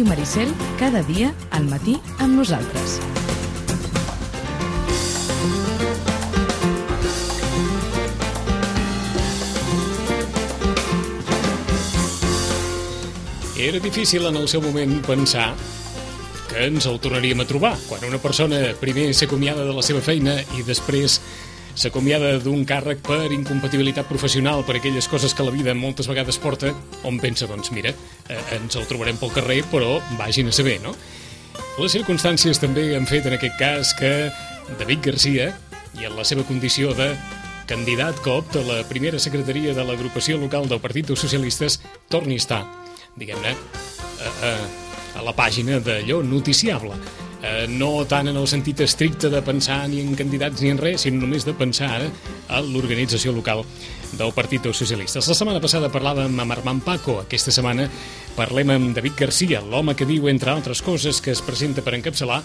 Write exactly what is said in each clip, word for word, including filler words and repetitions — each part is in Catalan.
Ràdio Maricel, cada dia al matí amb nosaltres. Era difícil en el seu moment pensar que ens el tornaríem a trobar. Quan una persona primer s'acomiada de la seva feina i després s'acomiada d'un càrrec per incompatibilitat professional, per aquelles coses que la vida moltes vegades porta, on pensa, doncs mira, eh, ens el trobarem pel carrer, però vagin a saber, no? Les circumstàncies també han fet en aquest cas que David Garcia, i en la seva condició de candidat que opta a la primera secretaria de l'agrupació local del Partit dels Socialistes, torni a estar, diguem-ne, a, a, a la pàgina d'allò noticiable. Eh, no tant en el sentit estricte de pensar ni en candidats ni en res, sinó només de pensar ara a l'organització local del Partit dels Socialistes. La setmana passada parlàvem amb Armand Paco. Aquesta setmana parlem amb David Garcia, l'home que diu, entre altres coses, que es presenta per encapçalar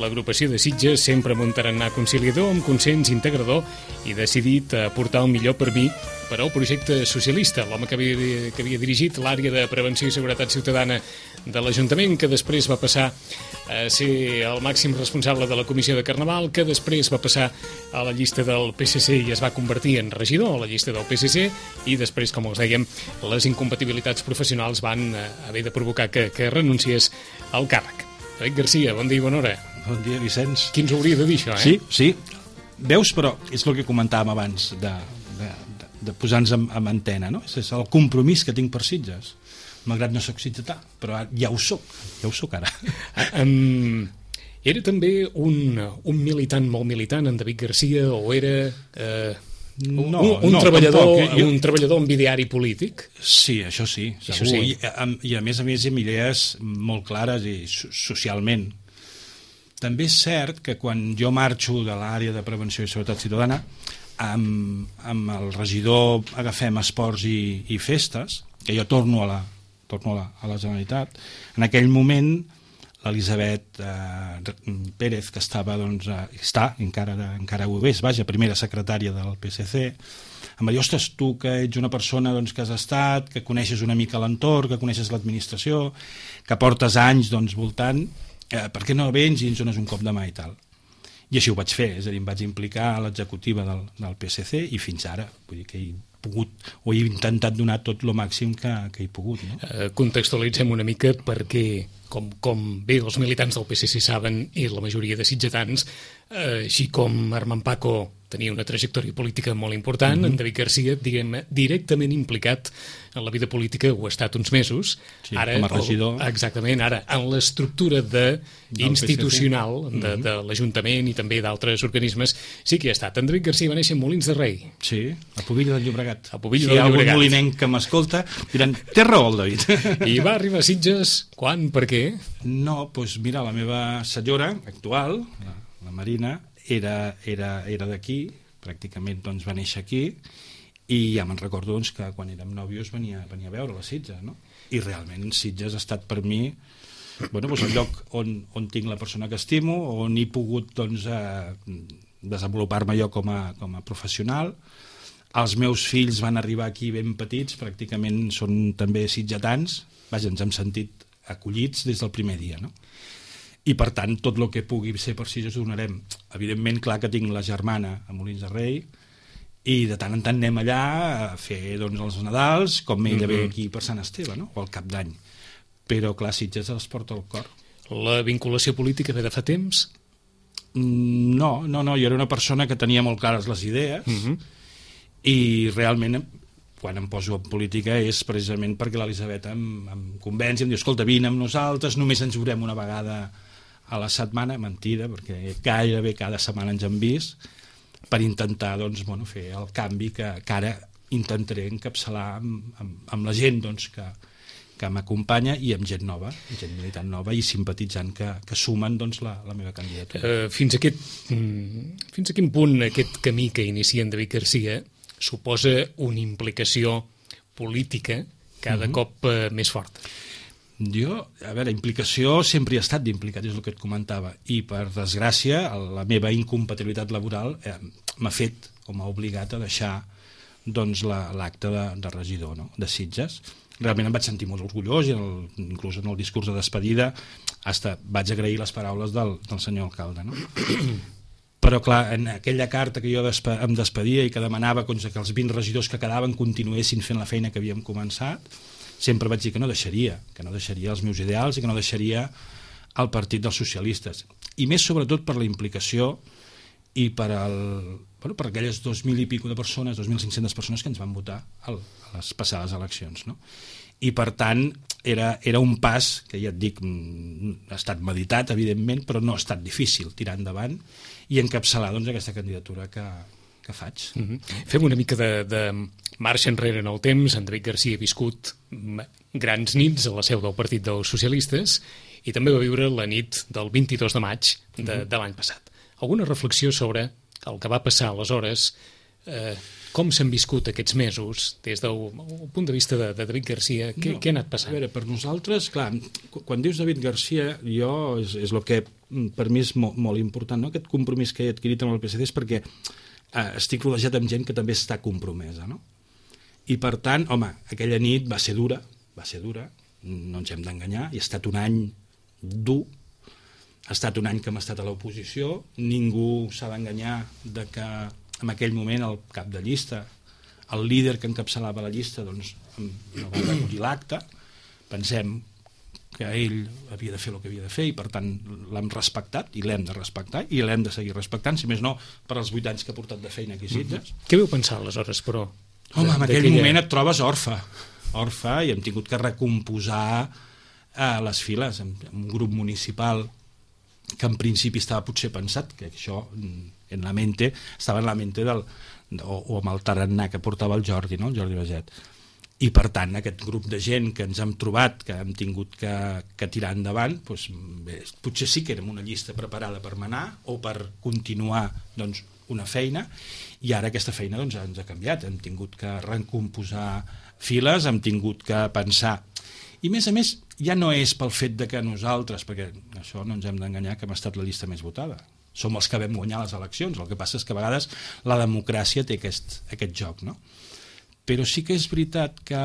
l'agrupació de Sitges sempre amb un tarannà conciliador, amb consens integrador i decidit a portar el millor per mi per al projecte socialista. L'home que havia, que havia dirigit l'àrea de prevenció i seguretat ciutadana de l'Ajuntament, que després va passar a ser el màxim responsable de la Comissió de Carnaval, que després va passar a la llista del P S C i es va convertir en regidor a la llista del P S C, i després, com els dèiem, les incompatibilitats professionals van haver de provocar que, que renunciés al càrrec. David Garcia, bon dia i bona hora. Bon dia, Vicenç. Qui ens hauria de dir això, eh? Sí, sí. Veus, però és el que comentàvem abans de, de, de, de posar-nos en, en antena, no? És el compromís que tinc per Sitges. Malgrat no soc sitgetà, però ja ho soc, ja ho soc ara. Um, era també un, un militant molt militant, en David Garcia, o era uh, un, no, un, un, no, treballador, tampoc, jo... un treballador amb ideari polític? Sí, això sí, segur. Això sí. I, I a més a més amb idees molt clares i socialment. També és cert que quan jo marxo de l'àrea de prevenció i seguretat ciutadana, amb, amb el regidor Agafem Esports i, i Festes, que jo torno a la, torno a la, a la Generalitat, en aquell moment l'Elisabet eh, Pérez, que estava, doncs, eh, està, encara, encara ho és, vaja, primera secretària del P S C, em va dir, ostres, tu que ets una persona doncs, que has estat, que coneixes una mica l'entorn, que coneixes l'administració, que portes anys doncs, voltant, eh, per què no vens i ens dones un cop de mà i tal? I així ho vaig fer, és a dir, em vaig implicar a l'executiva del, del P S C i fins ara, vull dir que he pogut, o he intentat donar tot el màxim que, que he pogut. No? Eh, contextualitzem una mica perquè, com, com bé els militants del P S C saben, i la majoria de sitgetans, eh, així com Armand Paco tenia una trajectòria política molt important, mm-hmm. en David Garcia, diguem, directament implicat en la vida política, ho ha estat uns mesos. Sí, ara, com a regidor. El, exactament, ara, en l'estructura de, institucional de, mm-hmm. de l'Ajuntament i també d'altres organismes, sí que hi ha estat. En David Garcia va néixer en Molins de Rei. Sí, a Pobilla del Llobregat. A Pobilla si del hi ha algun Llobregat. molinenc que m'escolta, diran, té raó el David. I va arribar a Sitges, quan, per què? No, doncs mira, la meva senyora actual, la, la Marina, era, era, era d'aquí, pràcticament doncs, va néixer aquí, i ja me'n recordo doncs, que quan érem nòvios venia, venia a veure la Sitges, no? I realment Sitges ha estat per mi bueno, doncs el lloc on, on tinc la persona que estimo, on he pogut doncs, eh, desenvolupar-me jo com a, com a professional. Els meus fills van arribar aquí ben petits, pràcticament són també sitgetans, vaja, ens hem sentit acollits des del primer dia, no? I per tant tot el que pugui ser per Sitges ho donarem. Evidentment, clar que tinc la germana a Molins de Rei i de tant en tant anem allà a fer doncs, els Nadals, com ella ve aquí per Sant Esteve, no? O al Cap d'Any. Però clar, Sitges els porta al cor. La vinculació política ve de fa temps? No, no, no, jo era una persona que tenia molt clares les idees uh-huh. i realment quan em poso en política és precisament perquè l'Elisabet em, em convenci, em diu, escolta, vine amb nosaltres, només ens veurem una vegada a la setmana, mentida, perquè gairebé cada setmana ens hem vist, per intentar doncs, bueno, fer el canvi que, que ara intentaré encapçalar amb, amb, amb la gent doncs, que, que m'acompanya i amb gent nova, gent militant nova i simpatitzant que, que sumen doncs, la, la meva candidatura. Uh, fins, a aquest, fins a quin punt aquest camí que inicia en David Garcia suposa una implicació política cada uh-huh. cop uh, més forta? Jo, a veure, implicació sempre he estat d'implicat, és el que et comentava, i per desgràcia la meva incompatibilitat laboral eh, m'ha fet o m'ha obligat a deixar doncs, la, l'acte de, de regidor, no? de Sitges. realment em vaig sentir molt orgullós i el, inclús en el discurs de despedida hasta vaig agrair les paraules del, del senyor alcalde, no? Però clar, en aquella carta que jo despe em despedia i que demanava que els vint regidors que quedaven continuessin fent la feina que havíem començat, sempre vaig dir que no deixaria, que no deixaria els meus ideals i que no deixaria el Partit dels Socialistes, i més sobretot per la implicació i per, el, bueno, per aquelles dos mil i pico de persones, dos mil cinc-centes persones que ens van votar al, a les passades eleccions, no? I per tant era, era un pas que ja et dic ha estat meditat evidentment, però no ha estat difícil tirar endavant i encapçalar doncs, aquesta candidatura que, que faig. Mm-hmm. Fem una mica de, de marxa enrere en el temps. En David Garcia ha viscut grans nits a la seu del Partit dels Socialistes i també va viure la nit del vint-i-dos de maig de, mm-hmm. de l'any passat. Alguna reflexió sobre el que va passar aleshores, eh, com s'han viscut aquests mesos des del punt de vista de, de David Garcia, què, no, què ha anat passant? A veure, per nosaltres, clar, quan dius David Garcia, jo és, és el que per mi és molt, molt important, no? Aquest compromís que he adquirit amb el P S C és perquè eh, estic rodejat amb gent que també està compromesa, no? I per tant, home, aquella nit va ser dura, va ser dura, no ens hem d'enganyar, i ha estat un any dur. Ha estat un any que hem estat a l'oposició, ningú s'ha d'enganyar de que en aquell moment el cap de llista, el líder que encapçalava la llista, doncs no va recollir l'acte. Pensem que ell havia de fer el que havia de fer i per tant l'hem respectat i l'hem de respectar i l'hem de seguir respectant, si més no per als vuit anys que ha portat de feina aquí a Sitges. Mm-hmm. Què vau pensar aleshores, però? Home, en aquell moment et trobes orfe, orfe i hem tingut que recomposar eh, les files, un grup municipal que en principi estava potser pensat, que això en la mente, estava en la mente del, o, o amb el tarannà que portava el Jordi, no? El Jordi Baget. I per tant, aquest grup de gent que ens hem trobat, que hem tingut que, que tirar endavant, doncs, bé, potser sí que érem una llista preparada per manar o per continuar doncs, una feina, i ara aquesta feina doncs, ens ha canviat. Hem tingut que recomposar files, hem tingut que pensar. I a més a més, ja no és pel fet de que nosaltres, perquè això no ens hem d'enganyar, que hem estat la llista més votada. Som els que vam guanyar les eleccions. El que passa és que a vegades la democràcia té aquest, aquest joc, no? Però sí que és veritat que,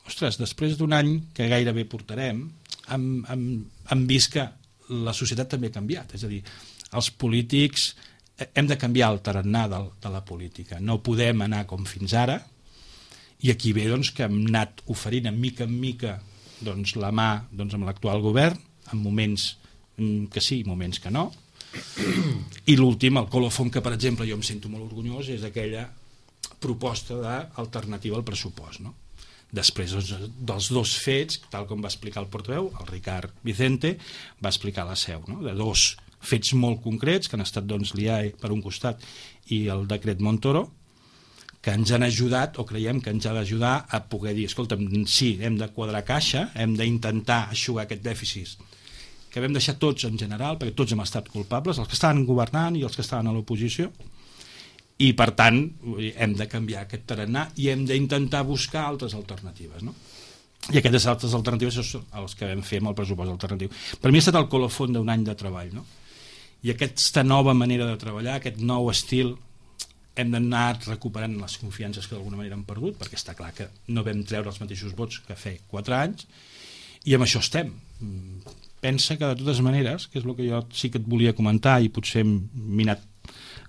ostres, després d'un any que gairebé portarem, hem, hem, hem vist que la societat també ha canviat. És a dir, els polítics hem de canviar el tarannà de, de la política. No podem anar com fins ara, i aquí ve doncs, que hem anat oferint en mica en mica doncs, la mà doncs, amb l'actual govern, en moments que sí, moments que no, i l'últim, el colofon, que per exemple jo em sento molt orgullós, és aquella proposta d'alternativa al pressupost, no? Després doncs, dels dos fets, tal com va explicar el portaveu, el Ricard Vicente va explicar la seu, no? De dos fets molt concrets que han estat doncs, l'I A E per un costat i el decret Montoro, que ens han ajudat, o creiem que ens ha d'ajudar a poder dir, escolta, sí, hem de quadrar caixa, hem d'intentar eixugar aquest dèficit que vam deixar tots en general, perquè tots hem estat culpables, els que estaven governant i els que estaven a l'oposició, i per tant hem de canviar aquest tarannà i hem d'intentar buscar altres alternatives, no? I aquestes altres alternatives són els que vam fer amb el pressupost alternatiu. Per mi ha estat el colofon d'un any de treball, no? I aquesta nova manera de treballar, aquest nou estil, hem d'anar recuperant les confiances que d'alguna manera hem perdut, perquè està clar que no vam treure els mateixos vots que fa quatre anys, i amb això estem. Pensa que de totes maneres, que és el que jo sí que et volia comentar i potser hem minat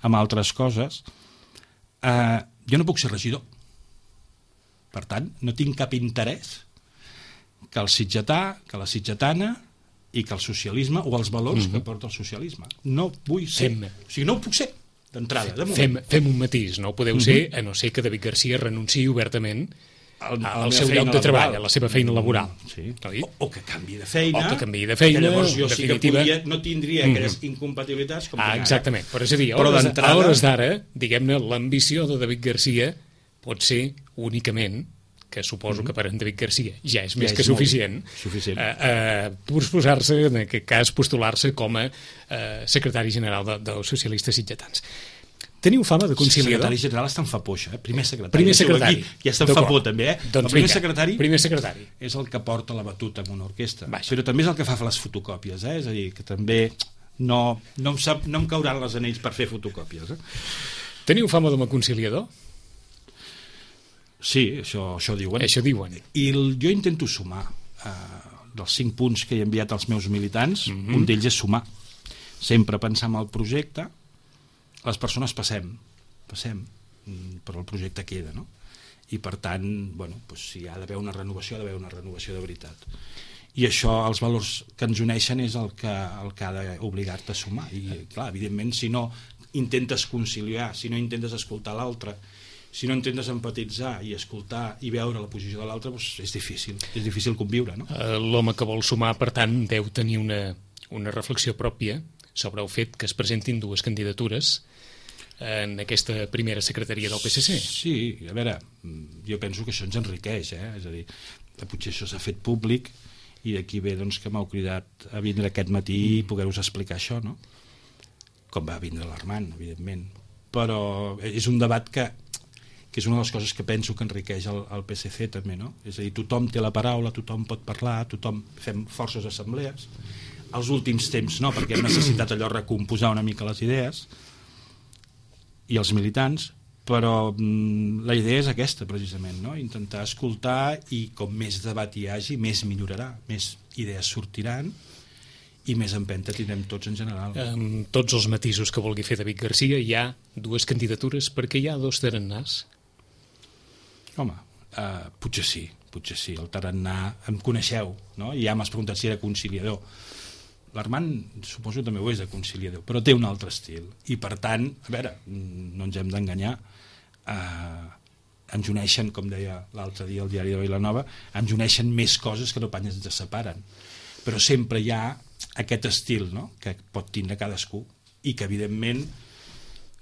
amb altres coses, eh, jo no puc ser regidor. Per tant, no tinc cap interès que el sitgetà, que la sitgetana i que el socialisme o els valors mm-hmm. que porta el socialisme. No vull ser. Fem. O sigui, no ho puc ser. D'entrada, de moment. Fem, fem un matís, no ho podeu uh-huh. ser, a no ser que David Garcia renunciï obertament al, al seu lloc de treball, a la seva feina laboral. Sí. O, o que canvi de feina. O que canvi de feina, que llavors jo definitiva... sí que podria, no tindria uh-huh. aquelles incompatibilitats com ah, exactament. Però és a dir, a Però hores, a hores d'ara, diguem-ne, l'ambició de David Garcia pot ser únicament, que suposo que per en David Garcia ja és més ja és que suficient, suficient. Eh, eh, posar-se, en aquest cas, postular-se com a eh, secretari general de, dels socialistes sitgetans. Teniu fama de conciliador? Secretari general està en fa poixa, eh? Primer secretari. Primer secretari. Aquí, ja està en fa por, també, eh? Doncs el primer vinga, secretari, primer secretari és el que porta la batuta en una orquestra. Vaja. Però també és el que fa les fotocòpies, eh? És a dir, que també no, no, em sap, no em cauran les anells per fer fotocòpies. Eh? Teniu fama de conciliador? Sí, això, això diuen. Això diuen. I el, jo intento sumar. Eh, dels cinc punts que he enviat als meus militants, mm-hmm. un d'ells és sumar. Sempre pensar en el projecte, les persones passem, passem, però el projecte queda, no? I per tant, bueno, doncs, si hi ha d'haver una renovació, ha d'haver una renovació de veritat. I això, els valors que ens uneixen és el que, el que ha d'obligar-te a sumar. I clar, evidentment, si no intentes conciliar, si no intentes escoltar l'altre, si no intentes empatitzar i escoltar i veure la posició de l'altre, doncs és difícil, és difícil conviure, no? L'home que vol sumar, per tant, deu tenir una, una reflexió pròpia sobre el fet que es presentin dues candidatures en aquesta primera secretaria del P S C. Sí, a veure, jo penso que això ens enriqueix, eh? És a dir, potser això s'ha fet públic i d'aquí ve doncs, que m'heu cridat a vindre aquest matí i poder-vos explicar això, no? Com va vindre l'Armand, evidentment. Però és un debat que que és una de les coses que penso que enriqueix el, el P S C també, no? És a dir, tothom té la paraula, tothom pot parlar, tothom fem forces assemblees. Els últims temps no, perquè hem necessitat allò recomposar una mica les idees i els militants, però mm, la idea és aquesta precisament, no? Intentar escoltar i com més debat hi hagi, més millorarà, més idees sortiran i més empenta tindrem tots en general. Amb tots els matisos que vulgui fer David Garcia, hi ha dues candidatures perquè hi ha dos tarannàs. Home, uh, potser sí, potser sí. El tarannà, em coneixeu, no? I ja m'has preguntat si era conciliador. L'Armand suposo també ho és de conciliador, però té un altre estil. I per tant, a veure, no ens hem d'enganyar, uh, ens uneixen, com deia l'altre dia el diari de Vilanova, ens uneixen més coses que no pas ens separen. Però sempre hi ha aquest estil, no?, que pot tindre cadascú i que evidentment,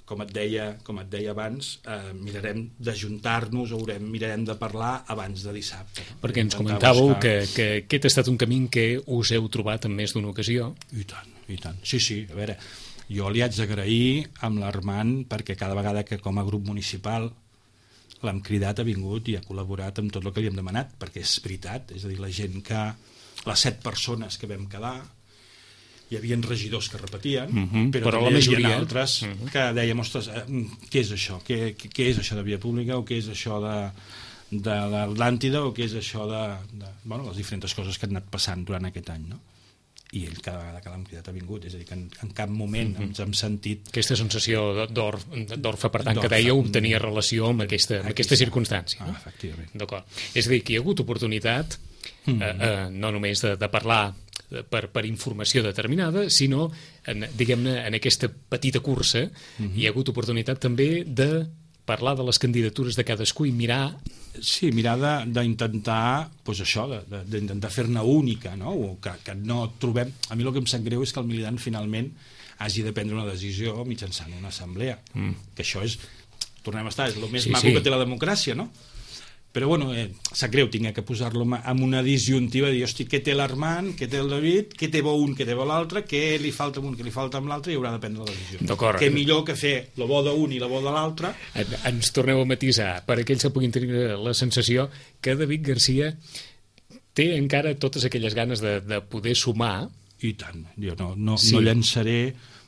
com et deia, com et deia abans, eh, mirarem d'ajuntar-nos o haurem, mirarem de parlar abans de dissabte. No? Perquè ens comentàveu buscar... que, que aquest ha estat un camí que us heu trobat en més d'una ocasió. I tant, i tant. Sí, sí, a veure, jo li haig d'agrair amb l'Armand perquè cada vegada que com a grup municipal l'hem cridat, ha vingut i ha col·laborat amb tot el que li hem demanat, perquè és veritat, és a dir, la gent que... les set persones que vam quedar, hi havia regidors que repetien, uh-huh, però, però també la hi majoria... havia altres uh-huh. que dèiem, ostres, eh, què és això? Què, què, què és això de via pública o què és això de, de l'Atlàntida o què és això de, de bueno, les diferents coses que han anat passant durant aquest any, no? I ell cada vegada que l'hem cridat ha vingut, és a dir, que en, en cap moment uh-huh. ens hem sentit... Aquesta sensació d'orfe, per tant, que dèieu, tenia relació amb aquesta, amb aquesta circumstància. Ah, no? efectivament. D'acord. És a dir, que hi ha hagut oportunitat mm. eh, eh, no només de, de parlar per, per informació determinada, sinó, en, diguem-ne, en aquesta petita cursa mm-hmm. hi ha hagut oportunitat també de parlar de les candidatures de cadascú i mirar... Sí, mirar d'intentar, doncs això, d'intentar fer-ne única, no? O que, que no trobem... A mi el que em sap greu és que el militant finalment hagi de prendre una decisió mitjançant una assemblea, mm. que això és, tornem a estar, és el més sí, maco sí. que té la democràcia, no? Però bueno, eh, sap greu, tinc que posar-lo en una disjuntiva, dir, hosti, què té l'Armand, què té el David, què té bo un, què té bo l'altre, què li falta un, què li falta amb l'altre, i haurà de prendre la decisió. Què millor que fer la bo d'un i la bo de l'altre. Ens torneu a matisar, per aquells que puguin tenir la sensació que David Garcia té encara totes aquelles ganes de, de poder sumar. I tant, jo no, no, sí. no llançaré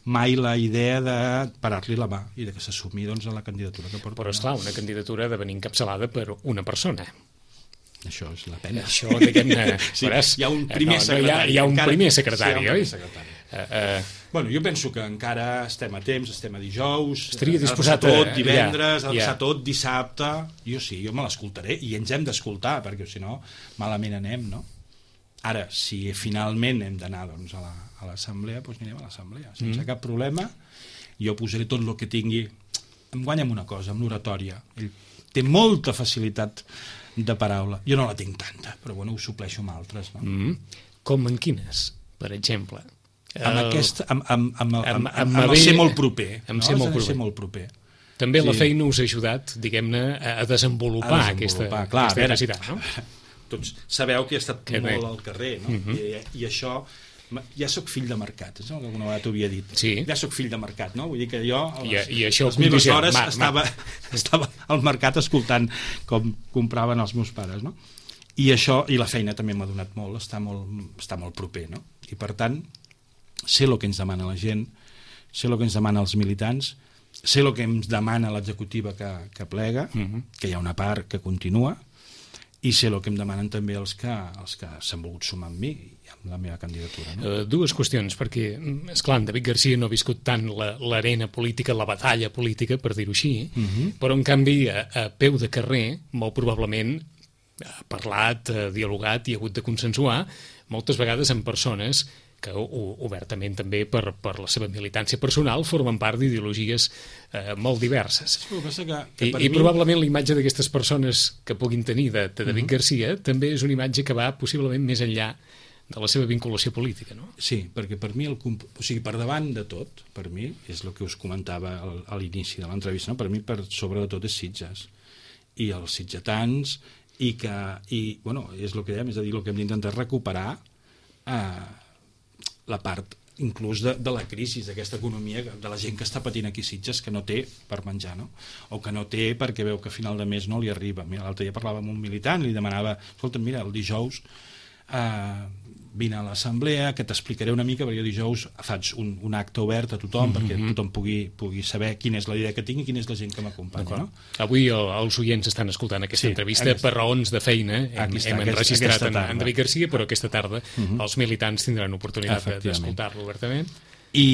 mai la idea de parar-li la mà i de que s'assumi doncs, a la candidatura que porta. Però esclar, una candidatura ha de venir encapçalada per una persona. Això és la pena. Això, diguem-ne... Sí, hi ha un primer no, secretari. No, hi ha, hi ha un encara, primer secretari, sí, oi? Secretari. Uh, uh, bueno, jo penso que encara estem a temps, estem a dijous, estaria disposat ha de passar tot divendres, ja, ha de passar ja. tot dissabte. Jo sí, jo me l'escoltaré i ens hem d'escoltar, perquè si no, malament anem, no? Ara, si finalment hem d'anar doncs, a la, a l'assemblea, doncs anirem a l'assemblea, sense mm. cap problema. Jo posaré tot el que tingui. Em guanya amb una cosa, amb l'oratòria. Ell té molta facilitat de paraula. Jo no la tinc tanta, però bueno, ho supleixo amb altres. No? Mm. Com en quines, per exemple? Amb, el... aquest, amb, amb, amb, amb, amb, amb, amb el ser molt proper. Amb no? ser molt proper. Ser molt proper. També sí. la feina us ha ajudat, diguem-ne, a desenvolupar, a desenvolupar. aquesta, Clar, aquesta necessitat, no? Tots sabeu que he estat que molt bé. al carrer, no? Uh-huh. I, i això, ja sóc fill de mercat, és el que alguna vegada t'ho havia dit. Sí. Ja sóc fill de mercat, no? Vull dir que jo, a les, I, i això les meves hores, mar, estava, estava al mercat escoltant com compraven els meus pares, no? I això, i la feina també m'ha donat molt, està molt, està molt proper, no? I per tant, sé el que ens demana la gent, sé el que ens demana els militants, sé el que em demana l'executiva que, que plega, uh-huh. que hi ha una part que continua, i sé el que em demanen també els que, els que s'han volgut sumar amb mi i amb la meva candidatura. No? Uh, dues qüestions, perquè, esclar, en David Garcia no ha viscut tant l'arena política, la batalla política, per dir-ho així, uh-huh. però en canvi, a, a peu de carrer, molt probablement ha parlat, ha dialogat i ha hagut de consensuar moltes vegades amb persones que obertament també per, per la seva militància personal formen part d'ideologies eh, molt diverses. Que que, que I, i mi... probablement l'imatge d'aquestes persones que puguin tenir de, de David uh-huh. Garcia també és una imatge que va possiblement més enllà de la seva vinculació política, no? Sí, perquè per mi, el, o sigui, per davant de tot, per mi, és el que us comentava al, a l'inici de l'entrevista, no? Per mi per sobre de tot és Sitges i els sitgetans i que, i, bueno, és el que dèiem, és a dir, el que hem d'intentar recuperar eh, la part inclús de, de la crisi, d'aquesta economia, de la gent que està patint aquí a Sitges, que no té per menjar, no? O que no té perquè veu que a final de mes no li arriba. Mira, l'altre dia parlava amb un militant, li demanava, escolta, mira, el dijous eh, vine a l'assemblea, que t'explicaré una mica, perquè jo dijous faig un, un acte obert a tothom, mm-hmm. perquè tothom pugui, pugui saber quina és la idea que tinc i quina és la gent que m'acompanya. No? Avui el, els oients estan escoltant aquesta sí, entrevista aquesta, per raons de feina. Hem, està, hem enregistrat en, en David Garcia, però aquesta tarda mm-hmm. els militants tindran oportunitat d'escoltar-lo obertament. I,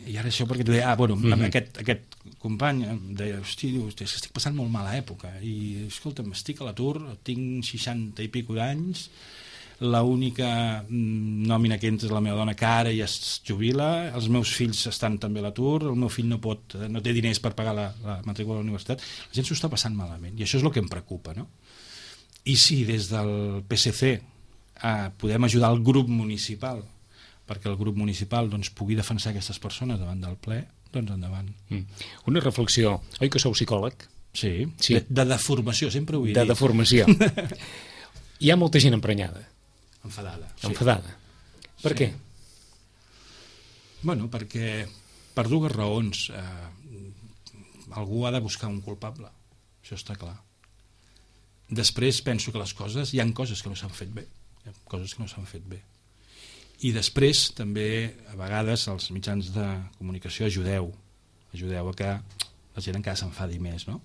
i ara això perquè tu deia, ah, bueno, mm-hmm. aquest, aquest company em deia, hosti, diu, estic passant molt mala època i, escolta'm, estic a l'atur, tinc seixanta i pico d'anys, l'única nòmina que entra és la meva dona, que ara ja es jubila, els meus fills estan també a l'atur, el meu fill no pot, no té diners per pagar la, la matrícula a la universitat, la gent s'ho està passant malament i això és el que em preocupa, no? I si des del P S C eh, podem ajudar el grup municipal perquè el grup municipal doncs, pugui defensar aquestes persones davant del ple, doncs endavant. Mm. Una reflexió, oi que sou psicòleg? Sí, sí. De, de deformació, sempre ho he dit. De deformació. Hi ha molta gent emprenyada. Enfadada. Sí. Enfadada. Per sí. què? Bueno, perquè per dues raons. Eh, algú ha de buscar un culpable. Això està clar. Després penso que les coses, hi ha coses que no s'han fet bé. Hi ha coses que no s'han fet bé. I després també, a vegades, els mitjans de comunicació ajudeu. Ajudeu a que la gent encara s'enfadi més, no?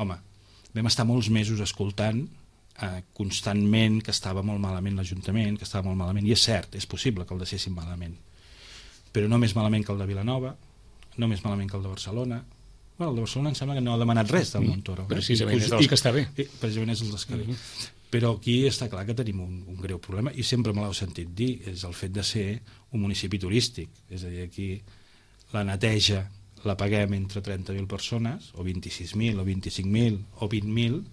Home, vam estar molts mesos escoltant Eh, constantment que estava molt malament l'Ajuntament, que estava molt malament, i és cert, és possible que el deixessin malament, però no més malament que el de Vilanova, no més malament que el de Barcelona. Bueno, el de Barcelona em sembla que no ha demanat res del Montoro. Precisament és dels que està bé. I, precisament és dels que bé. Però aquí està clar que tenim un, un greu problema, i sempre me l'heu sentit dir, és el fet de ser un municipi turístic, és a dir, aquí la neteja la paguem entre trenta mil persones, o vint-i-sis mil, o vint-i-cinc mil, o vint mil,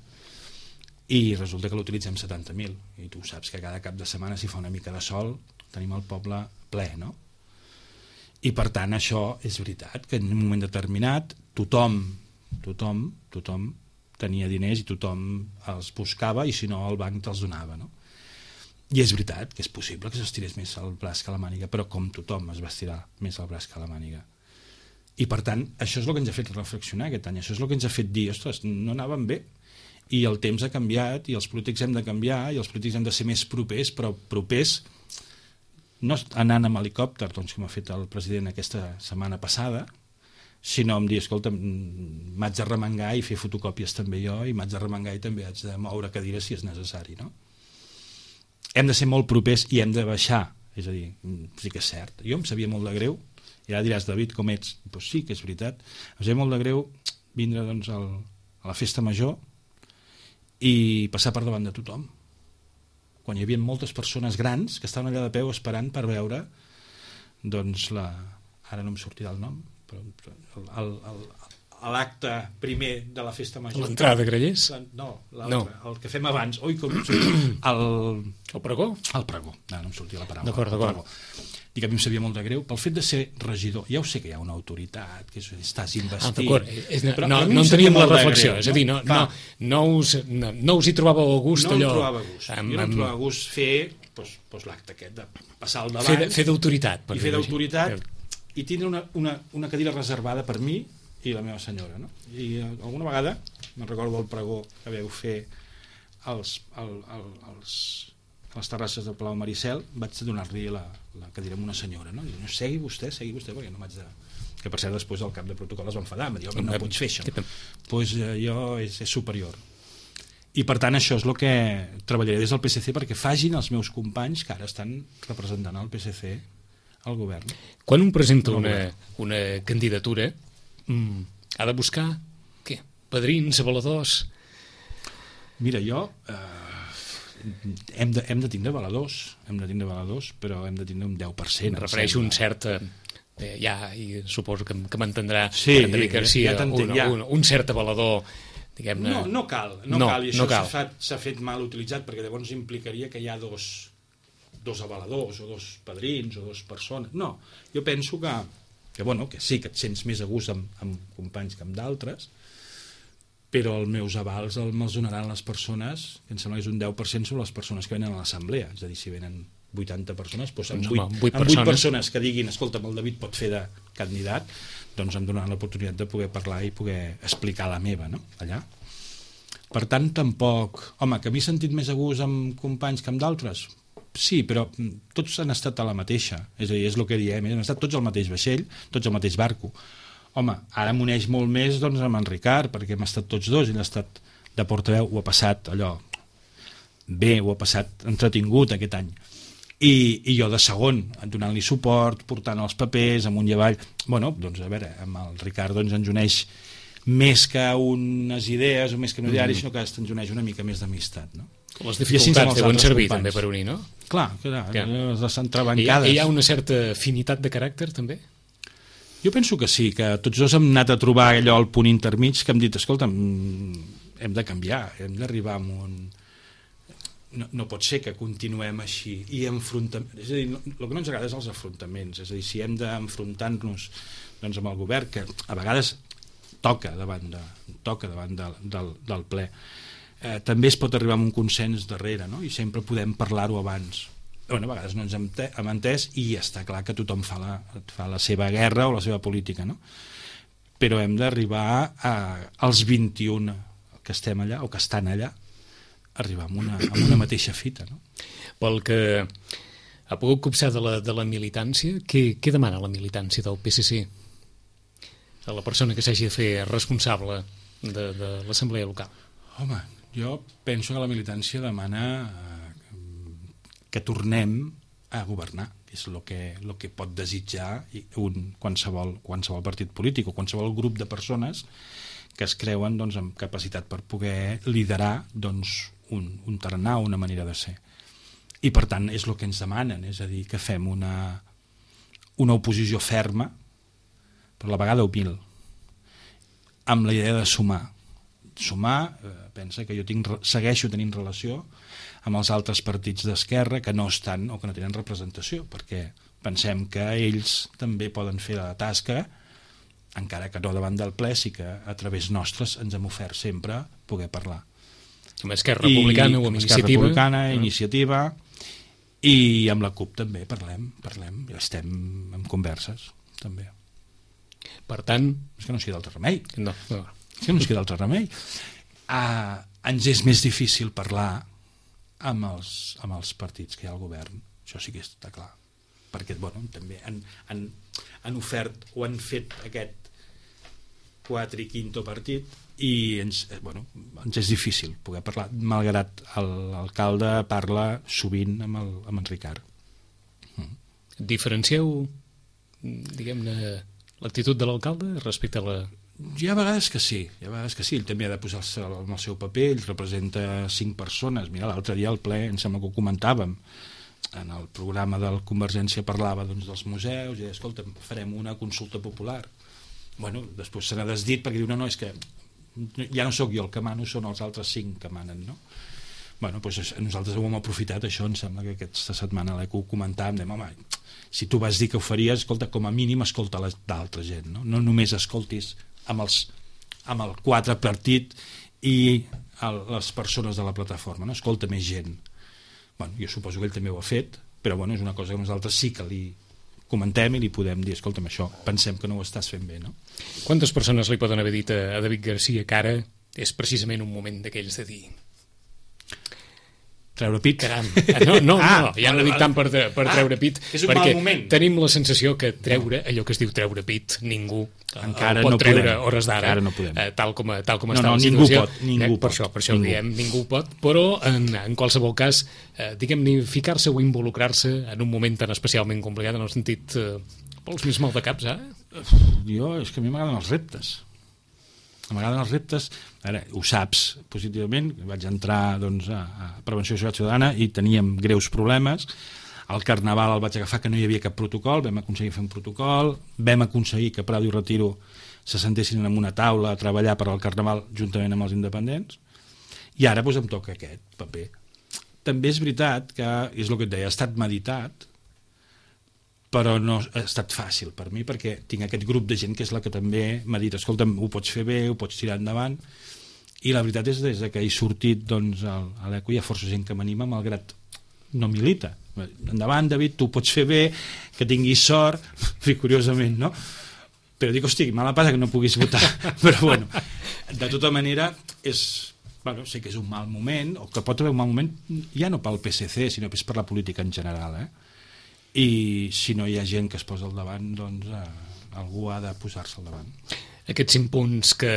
i resulta que l'utilitzem setanta mil, i tu saps que cada cap de setmana, si fa una mica de sol, tenim el poble ple, no? I per tant això és veritat, que en un moment determinat tothom, tothom, tothom tenia diners i tothom els buscava, i si no el banc te'ls donava, no? I és veritat que és possible que s'estirés més el braç que la màniga, però com tothom es va estirar més el braç que la màniga. I per tant, això és el que ens ha fet reflexionar aquest any, això és el que ens ha fet dir, ostres, no anàvem bé, i el temps ha canviat, i els polítics hem de canviar, i els polítics hem de ser més propers, però propers no anant amb helicòpter, doncs, com ha fet el president aquesta setmana passada, sinó em dir, escolta, m'haig de remengar i fer fotocòpies també jo, i m'haig de remengar i també haig de moure cadires si és necessari, no? Hem de ser molt propers i hem de baixar, és a dir, sí que és cert. Jo em sabia molt de greu, i ara diràs, David, com ets? Doncs sí que és veritat. Em sabia molt de greu vindre doncs, al, a la festa major i passar per davant de tothom, quan hi havia moltes persones grans que estaven allà de peu esperant per veure doncs la... ara no em sortirà el nom, però l'acte primer de la festa major. L'entrada de Grallers? No, no, el que fem abans. Oi, com... el... el pregó? El pregó, no, no em sortia la paraula. D'acord, d'acord. I que a mi em sabia molt de greu pel fet de ser regidor. Ja ho sé que hi ha una autoritat, que estàs investit. Ah, d'acord. No, no, no en teníem la reflexió. Greu, és a dir, no, no, no, us, no, no us hi trobàveu a gust no allò... No em trobava a gust. Amb, jo no em trobava a gust fer doncs, doncs, l'acte aquest de passar al davant. Fer, fer d'autoritat. I fer d'autoritat i tindre una, una, una cadira reservada per mi i la meva senyora. No? I alguna vegada, me'n recordo el pregó que vau fer els, el, el, els a les terrasses del Palau Maricel, vaig donar-li la, la cadira a una senyora, no? I diu, segui vostè, segui vostè, perquè no m'haig de... Que per cert després el cap de protocol es va enfadar, em va dir, no pots fer això. Doncs pues, eh, jo és, és superior. I per tant això és el que treballaré des del P S C perquè facin els meus companys que ara estan representant el P S C al govern. Quan un presenta una, una candidatura mm, ha de buscar què? Padrins, avaladors? Mira, jo eh, hem, de, hem de tindre avaladors hem de tindre avaladors, però hem de tindre un deu per cent. Em refereixo un cert eh, ja, i suposo que, que m'entendrà sí, David Garcia, ja, ja un, ja. un, un cert avalador. No, no cal, no, no cal, i no això s'ha fet, fet mal utilitzat perquè llavors implicaria que hi ha dos, dos avaladors o dos padrins o dos persones. No, jo penso que, que, bueno, que sí, que et sents més a gust amb, amb companys que amb d'altres, però els meus avals me'ls donaran les persones, que em sembla que és un deu per cent sobre les persones que venen a l'assemblea, és a dir, si venen vuitanta persones, doncs amb vuit persones que diguin, escolta, el David pot fer de candidat, doncs em donaran l'oportunitat de poder parlar i poder explicar la meva, no?, allà. Per tant, tampoc... Home, que m'he sentit més a gust amb companys que amb d'altres? Sí, però tots han estat a la mateixa, és a dir, és el que diem, han estat tots al mateix vaixell, tots al mateix barco. Home, ara m'uneix molt més doncs, amb en Ricard, perquè hem estat tots dos, ell ha estat de portaveu, ho ha passat allò bé, ho ha passat entretingut aquest any. I, i jo de segon, donant-li suport, portant els papers amunt i avall. Bueno, doncs a veure, amb el Ricard doncs, ens uneix més que unes idees o més que un ideari, mm. sinó que ens uneix una mica més d'amistat, no? Les dificultats deuen servir companys. També per unir, no? Clar, clar, ja. Les entrebancades. Hi ha, hi ha una certa afinitat de caràcter també? Jo penso que sí, que tots dos hem anat a trobar allò al punt intermig que hem dit, escolta, hem de canviar, hem d'arribar a un... No, no pot ser que continuem així i enfrontem... És a dir, el que no ens agrada és els afrontaments, és a dir, si hem d'enfrontar-nos doncs, amb el govern, que a vegades toca davant, de, toca davant de, del, del ple, eh, també es pot arribar a un consens darrere, no? I sempre podem parlar-ho abans. Bueno, a vegades no ens hem, hem entès i està clar que tothom fa la, fa la seva guerra o la seva política, no? Però hem d'arribar a, als vint-i-un que estem allà o que estan allà, arribar amb una, amb una mateixa fita, no? Pel que ha pogut copsar de la, de la militància, què, què demana la militància del P S C a la persona que s'hagi de fer responsable de, de l'assemblea local? Home, jo penso que la militància demana eh, que tornem a governar, que és el que, el que pot desitjar un, qualsevol, qualsevol partit polític o qualsevol grup de persones que es creuen doncs, amb capacitat per poder liderar doncs, un, un tarannà, una manera de ser. I per tant és el que ens demanen, és a dir, que fem una, una oposició ferma, però a la vegada humil, amb la idea de sumar. Sumar, eh, pensa que jo tinc, segueixo tenint relació amb els altres partits d'esquerra que no estan o que no tenen representació, perquè pensem que ells també poden fer la tasca, encara que no davant del ple, sí que a través nostres ens hem ofert sempre poder parlar. Amb Esquerra Republicana o amb Iniciativa. Esquerra Republicana, uh-huh. Iniciativa, i amb la CUP també parlem, parlem, estem en converses, també. Per tant... És que no ens queda altre remei. No, no. És que no ens queda altre remei. Uh, ens és més difícil parlar amb els, amb els partits que hi ha al govern, això sí que està clar, perquè bueno, també han, han, han ofert o han fet aquest quatre i quinto partit i ens, bueno, ens és difícil poder parlar, malgrat l'alcalde parla sovint amb, el, amb en Ricard. Mm. Diferencieu, diguem-ne, l'actitud de l'alcalde respecte a la... Hi ha vegades que sí, hi ha vegades que sí, ell també ha de posar-se en el seu paper, ell representa cinc persones, mira, l'altre dia al ple, em sembla que ho comentàvem, en el programa del Convergència parlava doncs, dels museus, i deia, escolta, farem una consulta popular. Bueno, després se n'ha desdit perquè diu, no, no, és que ja no sóc jo el que mano, són els altres cinc que manen, no? Bueno, doncs nosaltres ho hem aprofitat, això em sembla que aquesta setmana l'Eco ho comentàvem, dèiem, home, si tu vas dir que ho faries, escolta, com a mínim escolta d'altra gent, no? No només escoltis amb, els, amb el quatre partit i el, les persones de la plataforma, no? Escolta més gent. Bueno, jo suposo que ell també ho ha fet, però bueno, és una cosa que nosaltres sí que li comentem i li podem dir, escolta'm, això, pensem que no ho estàs fent bé, no? Quantes persones li poden haver dit a David Garcia que ara és precisament un moment d'aquells de dir treure pit. Caram. No, no, Ah, no, ja no dic tant per, de- per ah, treure pit, és un perquè mal moment. tenim la sensació que treure, allò que es diu treure pit, ningú eh, Encara el pot no treure podem. a hores d'ara, Encara no podem. eh, tal com, tal com No, està no, la ningú situació. pot, ningú eh, per pot, això, per això ningú. ho diem, ningú pot, però en, en qualsevol cas, eh, diguem-ne, ficar-se o involucrar-se en un moment tan especialment complicat, en el sentit, eh, vols més mal de caps, eh? Jo, és que a mi m'agraden els reptes. M'agraden els reptes. Ara, ho saps positivament, vaig entrar doncs, a, a Prevenció de Seguretat Ciutadana i teníem greus problemes. Al Carnaval el vaig agafar que no hi havia cap protocol, vam aconseguir fer un protocol, vam aconseguir que Prado i Retiro se sentessin en una taula a treballar per al Carnaval juntament amb els independents, i ara doncs, em toca aquest paper. També és veritat que, és el que et deia, ha estat meditat, però no ha estat fàcil per mi, perquè tinc aquest grup de gent que és la que també m'ha dit, escolta'm, ho pots fer bé, ho pots tirar endavant, i la veritat és que des que he sortit doncs, a l'Eco hi ha força gent que m'anima, malgrat no milita. Endavant, David, tu ho pots fer bé, que tinguis sort, curiosament, no? Però dic, hosti, mala passa que no puguis votar. Però bueno, de tota manera, és, bueno, sé que és un mal moment, o que pot haver un mal moment, ja no pel P S C, sinó que és per la política en general, eh? I si no hi ha gent que es posa al davant, doncs eh, algú ha de posar-se al davant. Aquests cinc punts que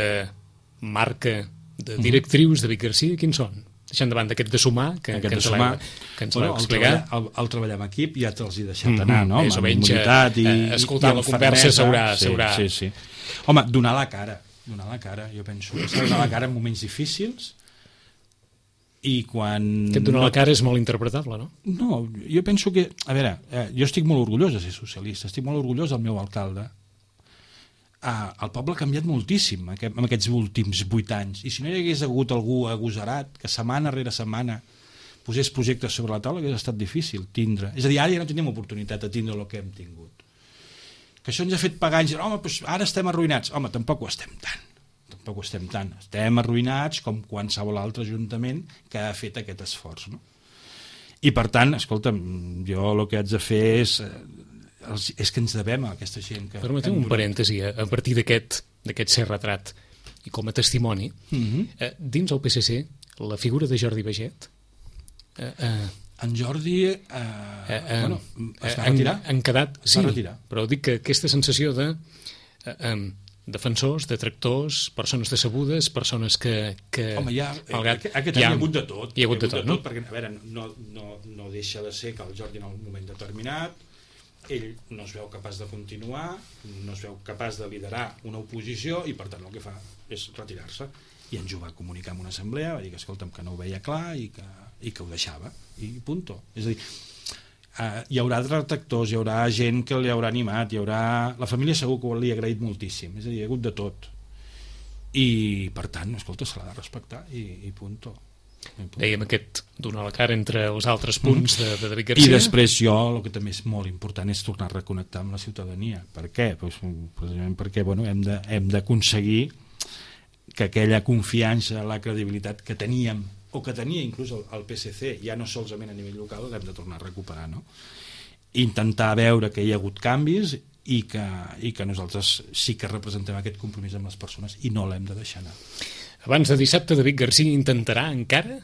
marca de directrius de Vic Garcia, quins són? Deixant de banda aquest de sumar, que, Aquest que de ens sumar, l'heu que ens bueno, l'heu el, explicat. treballar, el, el treballar en equip ja te'ls he deixat anar, no? Més o Amb menys, immunitat i, eh, escoltant i la conversa fermesa. s'haurà- Sí, s'haurà- sí, sí. Home, donar la cara, donar la cara, jo penso que s'ha de donar la cara en moments difícils, i quan... Aquest donar no- la cara és molt interpretable, no? No, jo penso que... A veure, eh, jo estic molt orgullós de ser socialista, estic molt orgullós del meu alcalde. Ah, el poble ha canviat moltíssim aquest, en aquests últims vuit anys, i si no hi hagués hagut algú agosarat que setmana rere setmana posés projectes sobre la taula, hauria estat difícil tindre. És a dir, ara ja no tenim oportunitat de tindre el que hem tingut. Que això ens ha fet pagar anys, home, doncs ara estem arruïnats. Home, tampoc ho estem tant. Tampoc ho estem tant. Estem arruïnats com qualsevol altre ajuntament que ha fet aquest esforç, no? I per tant, escolta'm, jo el que haig de fer és, és que ens devem a aquesta gent que... Permeteu un parèntesi, a partir d'aquest d'aquest ser retrat i com a testimoni, Mm-hmm. eh, dins el P S C, la figura de Jordi Baget, eh, eh, En Jordi eh, eh, eh, bueno, es va han, retirar. han quedat... Es Sí, va retirar. però dic que aquesta sensació de eh, eh, defensors, detractors, persones decebudes, persones que... que Home, ja, malgrat, aquest, aquest any hi ha hagut de tot. Hi ha hagut de tot, no? Perquè, a veure, no, no, no deixa de ser que el Jordi en un moment determinat ell no es veu capaç de continuar, no es veu capaç de liderar una oposició i per tant el que fa és retirar-se. I ens ho va comunicar en una assemblea, va dir que escolta'm, que no ho veia clar i que, i que ho deixava, i punto. És a dir, Uh, hi haurà detractors, hi haurà gent que li haurà animat, hi haurà... La família segur que li ha agraït moltíssim, és a dir, hi ha hagut de tot. I, per tant, escolta, se l'ha de respectar i, i punto. I punto. Dèiem aquest donar la cara entre els altres punts de, de David Garcia. I després jo, el que també és molt important és tornar a reconnectar amb la ciutadania. Per què? Pues, precisament perquè bueno, hem de, hem d'aconseguir que aquella confiança, la credibilitat que teníem o que tenia inclús el, el P S C, ja no solament a nivell local, l'hem de tornar a recuperar, no? Intentar veure que hi ha hagut canvis i que, i que nosaltres sí que representem aquest compromís amb les persones i no l'hem de deixar anar. Abans de dissabte, David Garcia intentarà encara?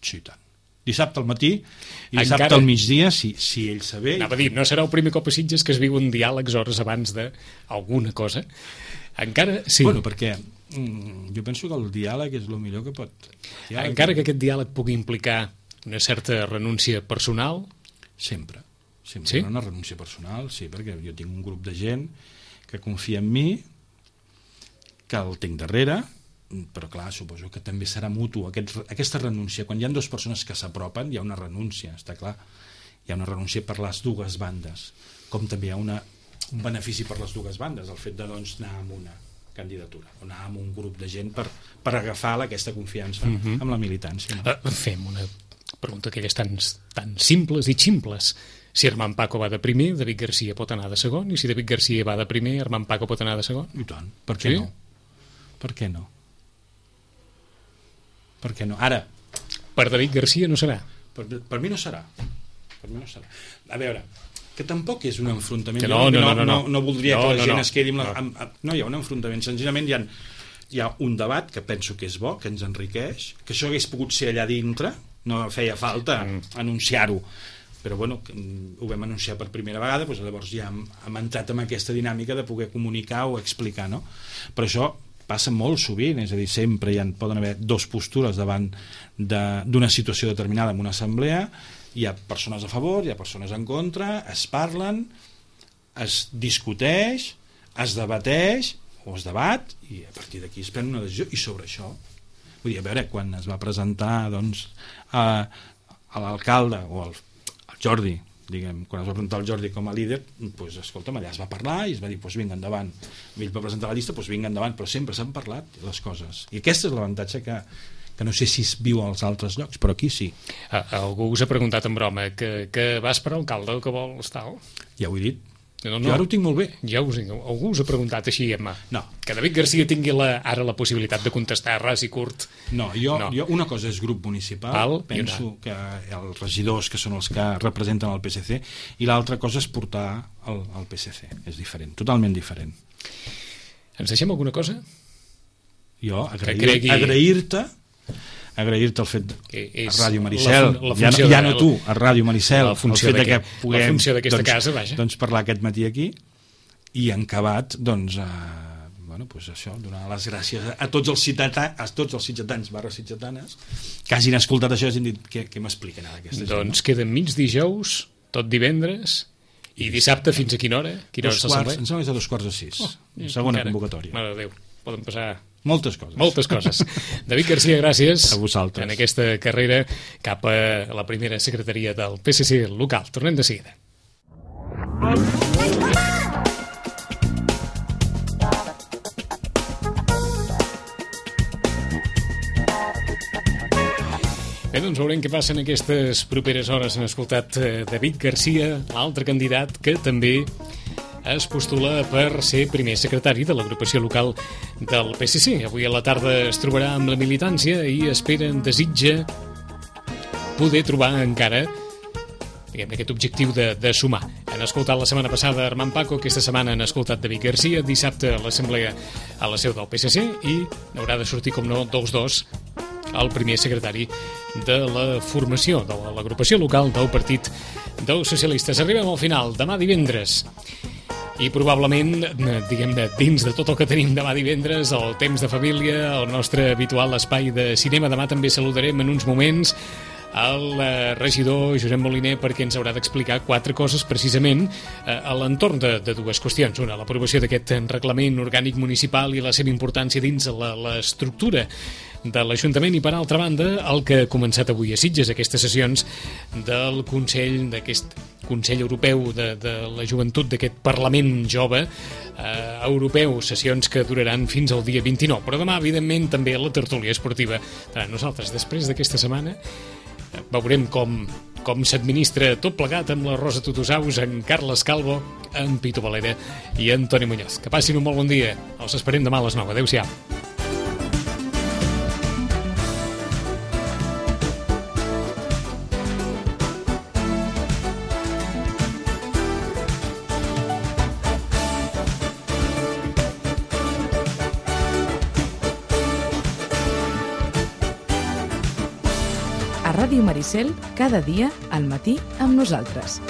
Sí, tant. Dissabte al matí i dissabte Encara... al migdia, si, si ell saber... Anava a dir, no serà el primer cop a Sitges que es viuen diàlegs hores abans d'alguna cosa. Encara, sí. Bueno, perquè mm, jo penso que el diàleg és el millor que pot... Diàleg, Encara que aquest diàleg pugui implicar una certa renúncia personal... Sempre. Sempre Sí? una renúncia personal, sí, perquè jo tinc un grup de gent que confia en mi, que el tinc darrere, però clar, suposo que també serà mutu. Aquest, aquesta renúncia, quan hi ha dues persones que s'apropen, hi ha una renúncia, està clar. Hi ha una renúncia per les dues bandes, com també hi ha una, un benefici per les dues bandes, el fet de doncs, anar amb una candidatura, o anar amb un grup de gent per, per agafar aquesta confiança Mhm. amb la militància. No? Uh, fem una pregunta d'aquelles tan, tan simples i ximples. Si Armand Paco va de primer, David Garcia pot anar de segon, i si David Garcia va de primer, Armand Paco pot anar de segon? I tant, per què Sí? no? Per què no? Per què no? Ara, Per David Garcia no serà. per, per mi no serà. Per mi no serà. A veure, que tampoc és un enfrontament. Que no, Jo no, no, no, no. no voldria No, que la no, gent no. es quedi amb la... No. Amb, amb, no hi ha un enfrontament, senzillament hi ha, hi ha un debat que penso que és bo, que ens enriqueix, que això hagués pogut ser allà dintre, no feia falta mm. anunciar-ho, però bueno, ho vam anunciar per primera vegada, doncs llavors ja hem, hem entrat en aquesta dinàmica de poder comunicar o explicar, no? Però això passa molt sovint, és a dir, sempre hi ha, poden haver dos postures davant d'una situació determinada en una assemblea, hi ha persones a favor, hi ha persones en contra, es parlen, es discuteix, es debateix o es debat i a partir d'aquí es pren una decisió, i sobre això vull dir, a veure, quan es va presentar doncs a, a l'alcalde o al Jordi, diguem, quan es va presentar el Jordi com a líder, doncs, escolta'm, allà es va parlar i es va dir, doncs vinga endavant, ell va presentar la llista, doncs vinga endavant, però sempre s'han parlat les coses, i aquest és l'avantatge que, que no sé si es viu als altres llocs, però aquí sí. Ah, algú us ha preguntat en broma que, que vas per alcalde o que vols tal? Ja ho he dit. No, no, jo ara ho tinc molt bé. Ja us, algú us ha preguntat així, Emma. No. Que David Garcia tingui la, ara la possibilitat de contestar ras i curt. No, jo, no. jo una cosa és grup municipal, Val, penso que els regidors que són els que representen el P S C, i l'altra cosa és portar el, el P S C. És diferent, totalment diferent. Ens deixem alguna cosa? Jo agrair, cregui... agrair-te agrair-te el fet a Ràdio Maricel, la, la ja, no, ja no tu, a Ràdio Maricel, el fet de que puguem la funció d'aquesta doncs, casa, vaja. doncs parlar aquest matí aquí, i en acabat doncs, eh, bueno, pues això, donar les gràcies a, a tots els ciutadans, a tots els ciutadans barra ciutadanes que hagin escoltat això i hagin dit què, què m'expliquen ara aquesta gent. Doncs no? Queden mig dijous, tot divendres i dissabte fins a quina hora? Quina dos hora quarts, em sembla que és a dos quarts de sis, oh, segona encara. Convocatòria. Mare de Déu, poden passar moltes coses. Moltes coses. David Garcia, gràcies a vosaltres en aquesta carrera cap a la primera secretaria del P S C local. Tornem de seguida. Bé, doncs veurem què passa en aquestes properes hores. Han escoltat David Garcia, l'altre candidat que també es postula per ser primer secretari de l'agrupació local del P S C. Avui a la tarda es trobarà amb la militància i espera, desitja poder trobar encara diguem, aquest objectiu de, de sumar. Han escoltat la setmana passada Armand Paco, aquesta setmana han escoltat David Garcia, dissabte a l'assemblea a la seu del P S C i haurà de sortir, com no, dos dos el primer secretari de la formació de l'agrupació local del Partit dels Socialistes. Arribem al final, demà divendres. I probablement, diguem-ne, dins de tot el que tenim demà divendres, el temps de família, el nostre habitual espai de cinema. Demà també saludarem en uns moments el regidor Josep Moliner perquè ens haurà d'explicar quatre coses precisament a l'entorn de, de dues qüestions. Una, l'aprovació d'aquest reglament orgànic municipal i la seva importància dins l'estructura de l'Ajuntament, i per altra banda el que ha començat avui a Sitges, aquestes sessions del Consell, d'aquest Consell Europeu de, de la Joventut, d'aquest Parlament Jove eh, Europeu, sessions que duraran fins al dia vint-i-nou, però demà evidentment també la tertúlia esportiva. Nosaltres després d'aquesta setmana veurem com, com s'administra tot plegat amb la Rosa Tutusaus, en Carles Calvo, en Pito Valera i en Toni Muñoz. Que passin un molt bon dia. Els esperem demà a les nou. Adéu-siau. Ràdio Maricel, cada dia al matí amb nosaltres.